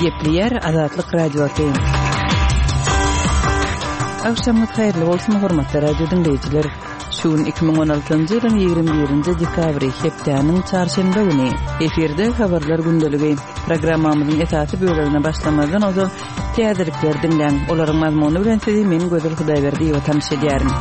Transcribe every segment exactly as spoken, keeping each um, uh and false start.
Gepleýär Azatlyk Radiosy. Agşamyňyz haýyrly bolsun, hormatly radio diňleýjiler. Şu gün iki müň on altynjy ýylyň ýigrimi birinji dekabry, hepdäniň çarşenbe güni. Efirde Habarlar gündeligi. Programmamyzyň esasy bölegine başlamazdan ozal täzelikleri diňläň. Olaryň mazmuny bilen sizi men Gözel Hudaýberdiýewa tanyş edýärin.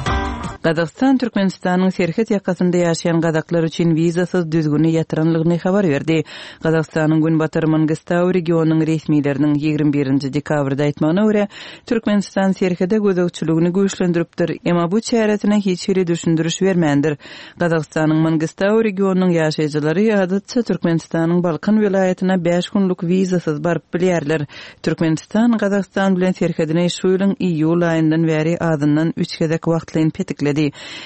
Gazagystan Türkmenistanyň serhet ýakasynda ýaşaýan gazaklar üçin wizasyz düzgüni ýatyranlygyny habar berdi. Gazagystanyň Günbatar Mangystau regionynyň resmileriniň ýigrimi birinji dekabrda aýtmagyna görä, Türkmenistan serhede gözegçiligini güýçlendiripdir, emma bu çäresine hiç hili düşündiriş bermändir. Gazagystanyň Mangystau regionynyň ýaşaýjylary adatça Türkmenistanyň Balkan welaýatyna bäş günlük wizasyz baryp bilýärler. Türkmenistan Gazagystan bilen serhedini şu ýylyň iýul aýyndan bäri azyndan üç gezek wagtlaýyn petikledi.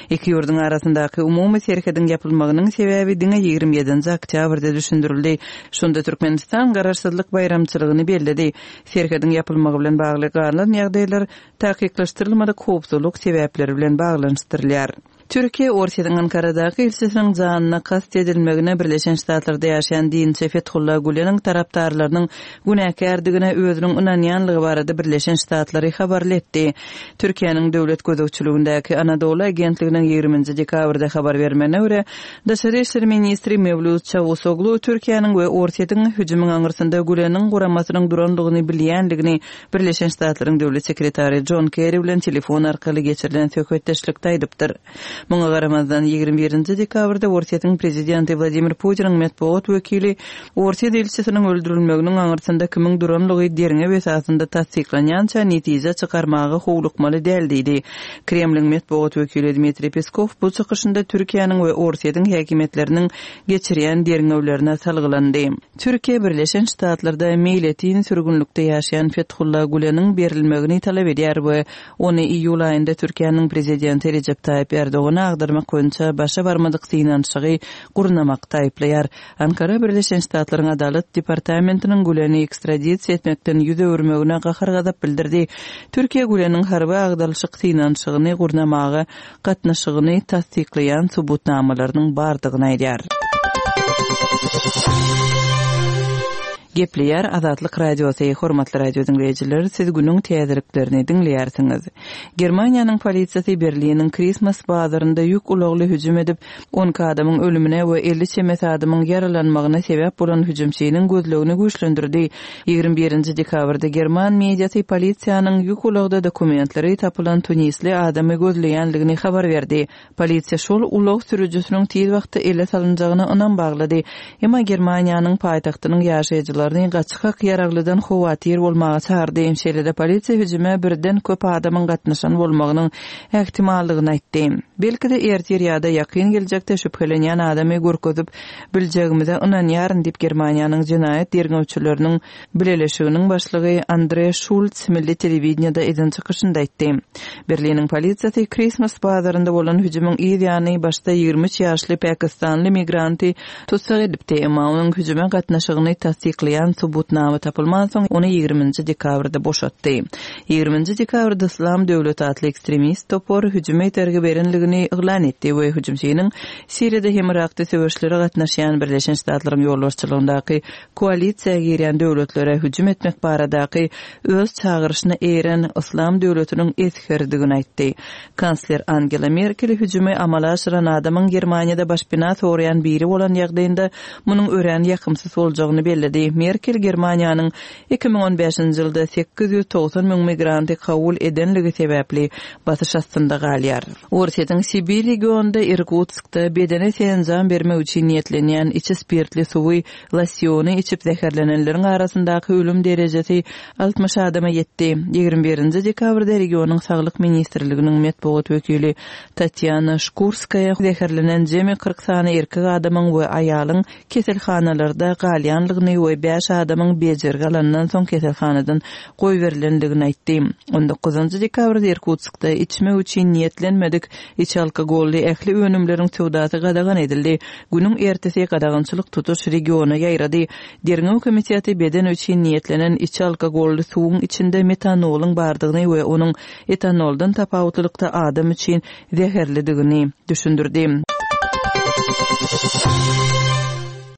Iki ýurduň arasyndaky umumy serhediň ýapylmagynyň sebäbi diňe ýigrimi ýedinji oktýabrda düşündirildi. Şonda Türkmenistan Garaşsyzlyk baýramçylygyny belledi. Serhediň ýapylmagy bilen bagly galan ýagdaýlar takyklaşdyrylmadyk howpsuzlyk sebäpleri bilen baglanyşdyrylýar. Türkiýe Orsýetiň Ankaradaky ilçisiniň janyna kast edilmegine Birleşen Ştatlarda ýaşaýan dinçi Fethullah Güleniň tarapdarlarynyň günäkärdigine özüniň ynanýanlygy barada Birleşen Ştatlary habarly etdi. Türkiýäniň döwlet gözegçiligindäki Anadolu agentliginiň ýigriminji dekabrda habar bermegine görä, Daşary işler ministri Mewlüt Çawusoglu Türkiýäniň we Orsýetiň hüjümiň aňyrsynda Güleniň guramasynyň durandygyny bilýändigini Birleşen Ştatlaryň döwlet sekretary Jon Kerri bilen telefon arkaly geçirilen söhbetdeşlikde aýdypdyr. Muňa garamazdan, ýigrimi birinji dekabrda Orsýetiň prezidenti Wladimir Putiniň metbugat wekili Orsýet ilçisiniň öldürilmeginiň aňyrsynda kimiň duranlygy derňew esasynda tassyklanýança netije çykarmaga howlukmaly däl diýdi. Kremliň metbugat wekili Dmitriý Peskow bu çykyşynda Türkiýäniň we Orsýetiň häkimiýetleriniň geçirýän derňewlerine salgylandy. Türkiýe Birleşen Ştatlarda meýletin sürgünlikde ýaşaýan Fethullah Güleniň berilmegini talap edýär we ony iýul aýynda Türkiýäniň prezidenti Rejep Taýyp Erdogana agdarmak boýunça başa barmadyk synanyşygy gurnamakda aýyplaýar. Ankara Birleşen Ştatlaryň Adalat departamentiniň Güleni ekstradisiýa etmekden ýüz öwürmegine gahar-gazap bildirdi. Türkiýe Güleniň harby agdarylyşyk synanyşygyny gurnamaga gatnaşygyny tassyklaýan subutnamalarynyň bardygyny aýdýar. Gepleýär Azatlyk Radiosy, hormatly radio diňleýjiler, siz günüň täzeliklerini diňleýärsiňiz. Germaniýanyň polisiýasy Berliniň Christmas bazarynda ýük ulagly hüjüm edip, on iki adamyň ölümine we elli çemesi adamyň ýaralanmagyna sebäp bolan hüjümçiniň gözlegini güýçlendirdi. Ýigrimi birinji dekabrda german mediasy polisiýanyň ýük ulagda dokumentleri tapylan tunisli adamy gözleýänligini habar berdi. Polisiýa şol ulag sürüjisiniň tiz wagtda ele salynjagyna ynam baglady. Emma Germaniýanyň paýtagtynyň ýaşaýjylaryny gaçgak ýaraglydan howatyr bolmaga çagyrdy. Şeýle-de polisiýa hüjüme birden köp adamyň gatnaşan bolmagynyň ähtimallygyny aýtdy. Belki-de ertir ýa-da ýakyn geljekde şübhelenýän adamy görkezip biljegimize ynanýaryn diýip Germaniýanyň jenaýat derňewçileriniň bileleşiginiň başlygy Andre Schulz milli telewideniýede eden çykyşynda aýtdy. Berliniň polisiýasy Christmas bazarynda bolan hüjümiň yz ýany başda ýigrimi üç ýaşly pakistanly migranty tussag edipdi, emma onuň hüjüme gatnaşygyny tassyklaýan subutnama tapylmansoň ony ýigriminji dekabrda boşatdy. Ýigriminji dekabrda Islam döwleti atly ekstremist topar hüjüme itergi berenligini yglan etdi we hüjümçiniň Siriýada hem Irakda söweşlere gatnaşýan Birleşen Ştatlaryň ýolbaşçylygyndaky koalisiýa girýän döwletlere hüjüm etmek baradaky öz çagyryşyna eýeren Islam döwletiniň esgeridigini aýtdy. Kansler Angela Merkel hüjümi amala aşyran adamyň Germaniýada başpena soraýan biri bolan ýagdaýynda munuň örän ýakymsyz boljagyny belledi. Merkel Germaniýanyň iki müň on bäşinji ýylda sekiz ýüz togsan müň migranty kabul edenligi sebäpli basyş astynda galýar. Orsýetiň Sibir regionynda Irkutskda bedene senjam bermek üçin niýetlenýän içi spirtli suwy losýony içip zäherlenenleriň arasyndaky ölüm derejesi altmyş adama ýetdi. Ýigrimi birinji dekabrda regionyň Saglyk ministrliginiň metbugat wekili Tatýana Şkurskaýa zäherlenen jemi kyrk sany erkek adamyň we aýalyň keselhanalarda galýanlygyny we bäş adamyň bejergi alandan soň keselhanadan goýberilendigini aýtdy. On dokuzynjy dekabrda Irkutskda içmek üçin niýetlenmedik içi alkogolly ähli önümleriň söwdasy gadagan edildi. Günüň ertesi gadagançylyk tutuş regiona ýaýrady. Derňew komiteti beden üçin niýetlenen içi alkogolly suwuň içinde metanolyň bardygyny we onuň etanoldan tapawutlylykda adam üçin zäherlidigini düşündirdi.